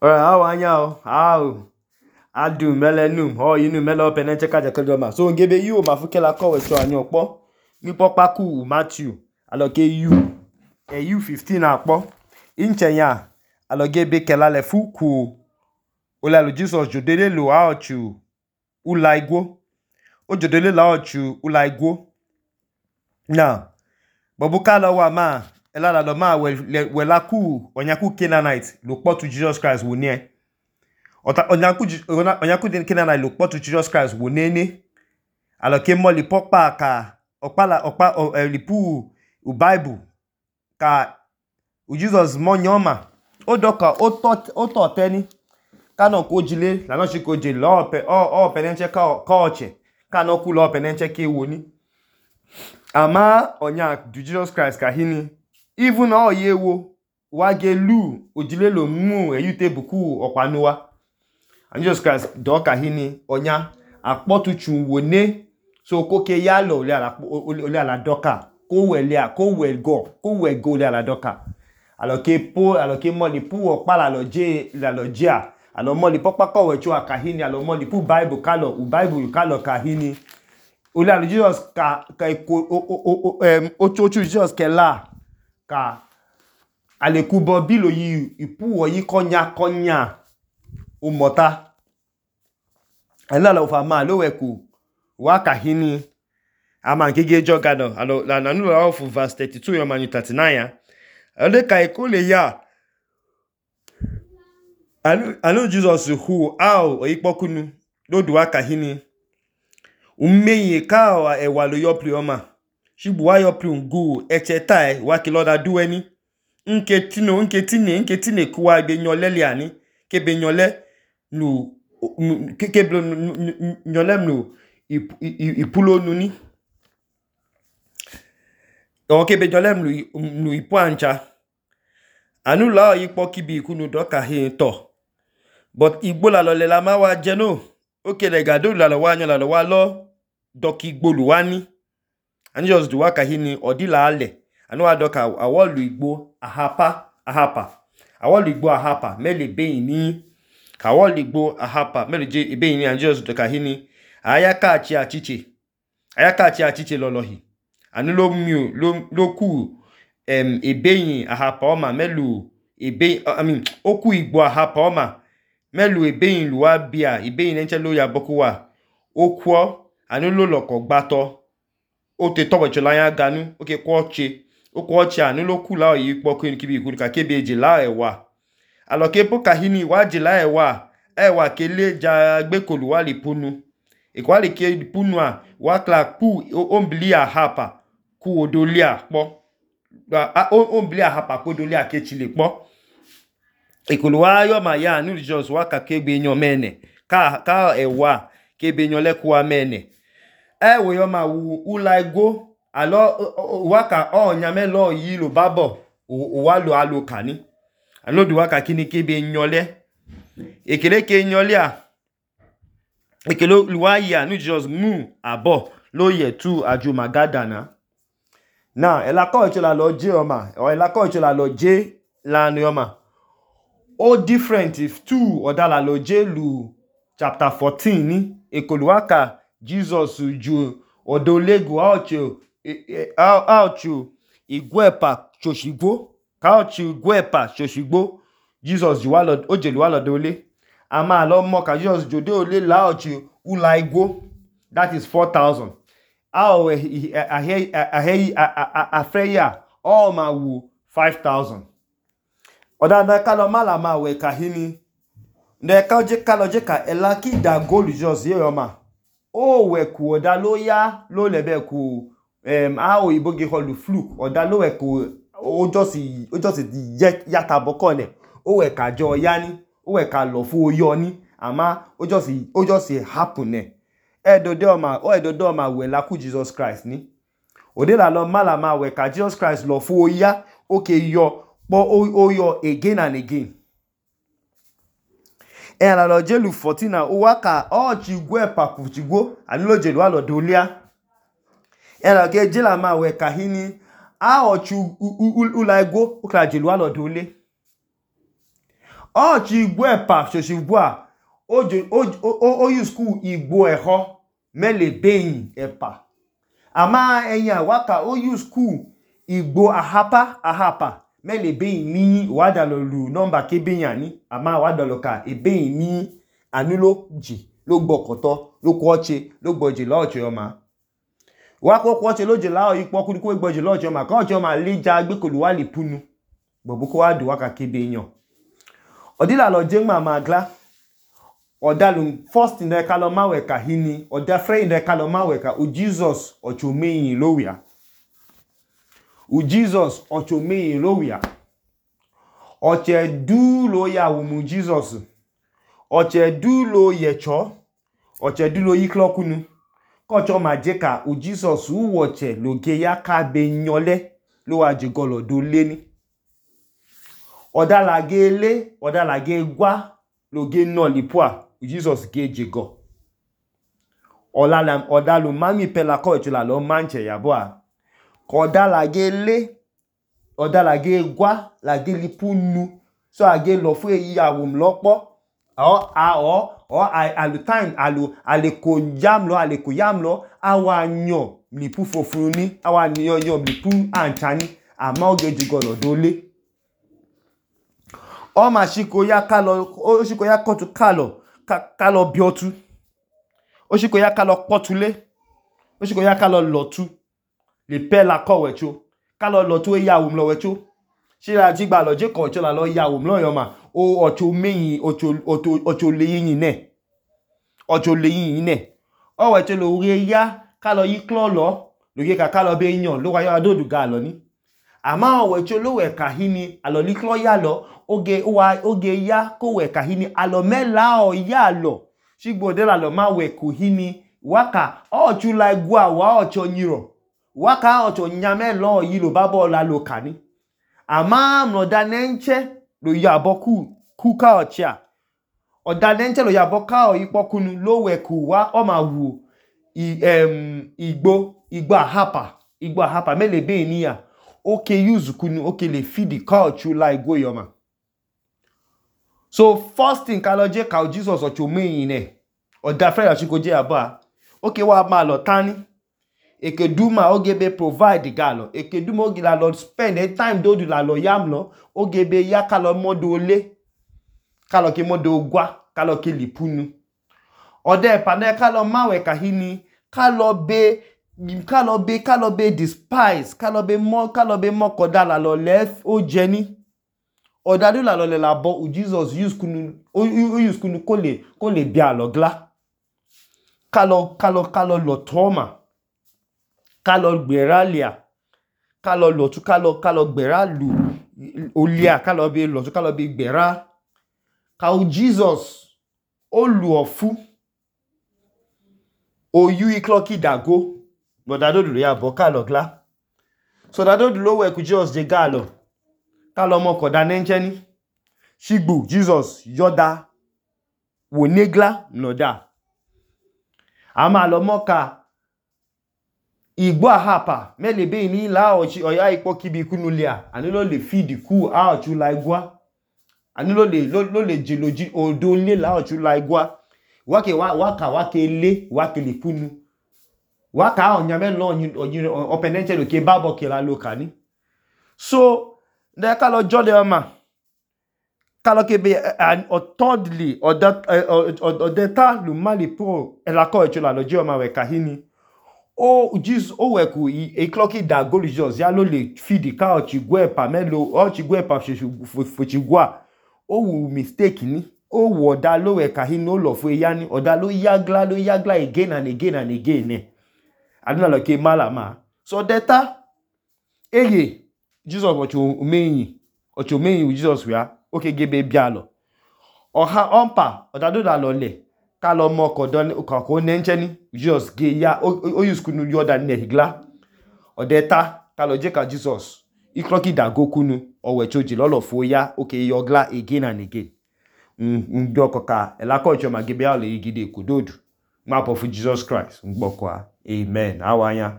How anya how adu melenum ho yinu melo penenche kaja kedoma so ngebe yu ma fukela ko we so anyo po ni popa ku Matthew aloke yu 15 akpo inchenya aloge be kela le fuku ola lo Jesus jodele lo aochu ulaigwo o jodele la ochu ulaigwo now bobuka lo wa ma elala lo ma we la ku onyaku Canaanite lo po to Jesus Christ wo nie onyaku Canaanite lo po to Jesus Christ wo nene aloke mo li popa ka okpa lipu u Bible ka u Jesus mo nyoma o doka o to teni kano ko jile la no shi ko je lo penenche ka oche kano ku lo penenche ke woni ama onya du Jesus Christ ka hini even o yewo wa gelu ojile lo mu eyute buku opanuwa and Jesus Christ do ka hini onya akpotu chun wone so ko ke ya lo ole ala doka ko we go le ala doka aloke mo li pu opa la lo jia alo mo li popa ko we chu akahini alo mo li pu Bible kalo u Bible kalo kahini ole ala Jesus ka ochochu Jesus ke la ka alekubo bilo yi ipu oyi konya o mota elala ofa ma lo weku wa kahini ama ngege jogado alo la nanu la of verse 32 yo manu 39 ya ole ka ekole ya alo Jesus who ao oyipokunu lodu wa kahini ummeye ka ewa lo yopli oma shibu wa yopli ngu echetai wa kiloda duweni nke tine kuwa be nyolele ani ke be nyole nu ke nyole nu ipulo nuni o ke be nyole nu ipu ancha anu la ipo kibi kunu doka he to but igbo la lo le la ma wa jeno oke le gado la lo wa lo doki igbo lu wani and just do waka hini odila ale anu wa doka awolu igbo ahapa awolu igbo ahapa mele beyin ni awolu igbo ahapa mele je beyin ni and just doka hini ayaka achiche lolohi anu lo ku ebeyin ahapa oma melu oku igbo ahapa oma melu ebeyin luwa bia ebeyin enche lo ya bokuwa okwo anu lo loko gbato o te tobo chola ya ganu oke kwoche anu lo kula oyi poku ni kibi ikuru ka kebe je la ewa aloke po kahini wa je la ewa kele ja gbekolu wa li punu ekwali ke punu a wa kla ku ombli ahapa ku odolia po ombli ahapa ku odolia ke chile po ekolu wa yo ma ya anu Jesus wa ka kebe nyo mene ka ewa kebe nyo le ku amene we yo ma wu ulaigo alo waka nyame lo yi lo babo wa lo alokani alo du waka kini kebe nyole ekele ke nyole a ekele luwayi anu Jesus mu abo lo ye tu aju magadana now elako ichola lo je oma o elako ichola lo je la no oma o different if two odala lo je lu chapter 14 ni ekoluwaka Jesus ju odolego aochu igwepa choshigbo kaochu igwepa choshigbo Jesus ju walo ojelu walo dole ama lo mo ka Jesus jode ole laochu ulaigwo that is 4,000 afreya all ma wu 5,000 odanda kalo mala ma we kahini ne ka je kalo je ka elaki da gold Jesus ye oma o we ku oda lo ya lo lebe ku o iboge holu fluke oda lo we ku o just yata bokole o we ka jo yani o we ka lo fu oyo ni ama o just happen edodo ma we la ku Jesus Christ ni ode la lo mala ma we ka Jesus Christ lo fu oya okay yo po oyo again and again la lo jelu 14 na o waka chigwe papuchigwo anilo jelu alo dolia la ke jela ma we kahini chu ulaigo o kla jelu alo dole Ọchị igbo ẹpa ṣoṣibua o use ku igbo ẹhọ mele beyin ẹpa. Ama ẹnya waka o use ku igbo ahapa mele beyin ni wadalo lu number ke beyin ni. Ama wadalo ka ebeyin ni anu lo ji lo gbọkọtọ lo kwọche lo gbọje lọọchị ọma. Wako kwọche lo je lao ikpọku ni ko gbọje lọọchị ọma ka ọchị ọma leja gbekolu wa le punu. Gbọbu ko wa du waka ke beyin. Odila lo jengma magla. Odalu first in the kaloma weka hini. Oda free in the kaloma weka. U Jesus ochomeyin lowia. U Jesus ochomeyin lowia. Oche du lo ya wumu Jesus. Oche du lo yecho. Oche du lo yiklokunu. Kocho majeka u Jesus u woche lo geya ka be nyole lo wa jigolo do leni. Oda la ge le, oda la ge gwa, lo ge no lipua, Jesus ge jego. Oda lu mami pela ko chula lo manche yabua. Oda la ge le, oda la ge gwa, la ge lipu nu. So a ge lo fu e ya wum lopo. Alu time, ale ko yam lo, awa nyo, lipu fofuni, awa nyo lipu anchani, ama oge jigolo dole. Oma shiko ya kotu kalo biotu. Oshiko ya kalo potule. Oshiko ya kalo lotu. Le pe la ko wecho. Kalo lotu e ya wumlo wecho. Shira jigba lo je ko chola lo ya wumlo yoma. O ocho meyin ocho leyin ne. Ocho leyin ne. O wecho lo ure ya kalo yiklo lo. Lo ye ka kalo be yan lo wa ya dodu ga lo ni. Ama o wecho lo we kahini alo liklo ya lo. Oge ya ko we kahini alo mela o ya lo. Shigbo de la lo ma we kuhini waka ochu la igwa wa ocho nyiro. Waka ocho nyame lo yilo babo la lo kani. Ama mnoda nenche lo yabo kuka ochia. Oda nenche lo yabo ka o ipokunu lo we kuwa o ma wu igbo ahapa mele be ni ya. Oke use kunu oke le feed culture la igbo yoma. So first thing kaloje ka Jesus ocho meyin ne. Oda frere chiko je aba. Oke wa ma lo tani. Eke duma oge be provide galo. Eke duma oge la lo spend a time do la lo yam lo. Oge be ya kalo modo le. Kalo ke modo gwa. Kalo ke lipunu. Ode pane kalo mawe kahini. Kalo be despise. Kalo be mo koda la lo lef o jeni. Odadu la lo le la bo u Jesus use kunu ko le bia lo gla. Kalo lo toma. Kalo gbera lia. Kalo lo tu kalo gbera lu. Olia kalo be lo tu kalo be gbera. Ka u Jesus o lu ofu. O yu ikloki dago. Odadu lo ya bo kalo gla. So dadu lo we ku Jesus je galo. Kalo mo koda nencheni. Shigbu Jesus yoda wo negla noda. Ama lo moka igbo ahapa mele be ni la oya ipo kibi kunulia. Ani lo le feed ku a ochu la igwa. Ani lo le jeloji odo le la ochu la igwa. Wake le punu. Waka onyame lo openenche lo ke babo ke la lokani. So de kalo jode oma kalo kebe thirdly odeta lu mali pro elako echola lo je oma we kahini o Jesus o we ku e clocky da go Jesus ya lo le feed ka o chigwe pa melo o chigwe pa fochigwa o wu mistake ni o wo da lo we kahini o lo fu ya ni oda lo yagla again and again ne aduna lo ke malama so data eye Jesus ocho meyin Jesus wia oke gebe bialo oha ompa odado da lo le ka lo mo ko nenche ni Jesus ge ya o use kunu yoda ne higla odeta ka lo je ka Jesus ikroki da gokunu owe choji lolo fo ya oke yogla again and again ndoko ka elako icho ma gebe ale igide kudodu ma po fu Jesus Christ ngboko amen awanya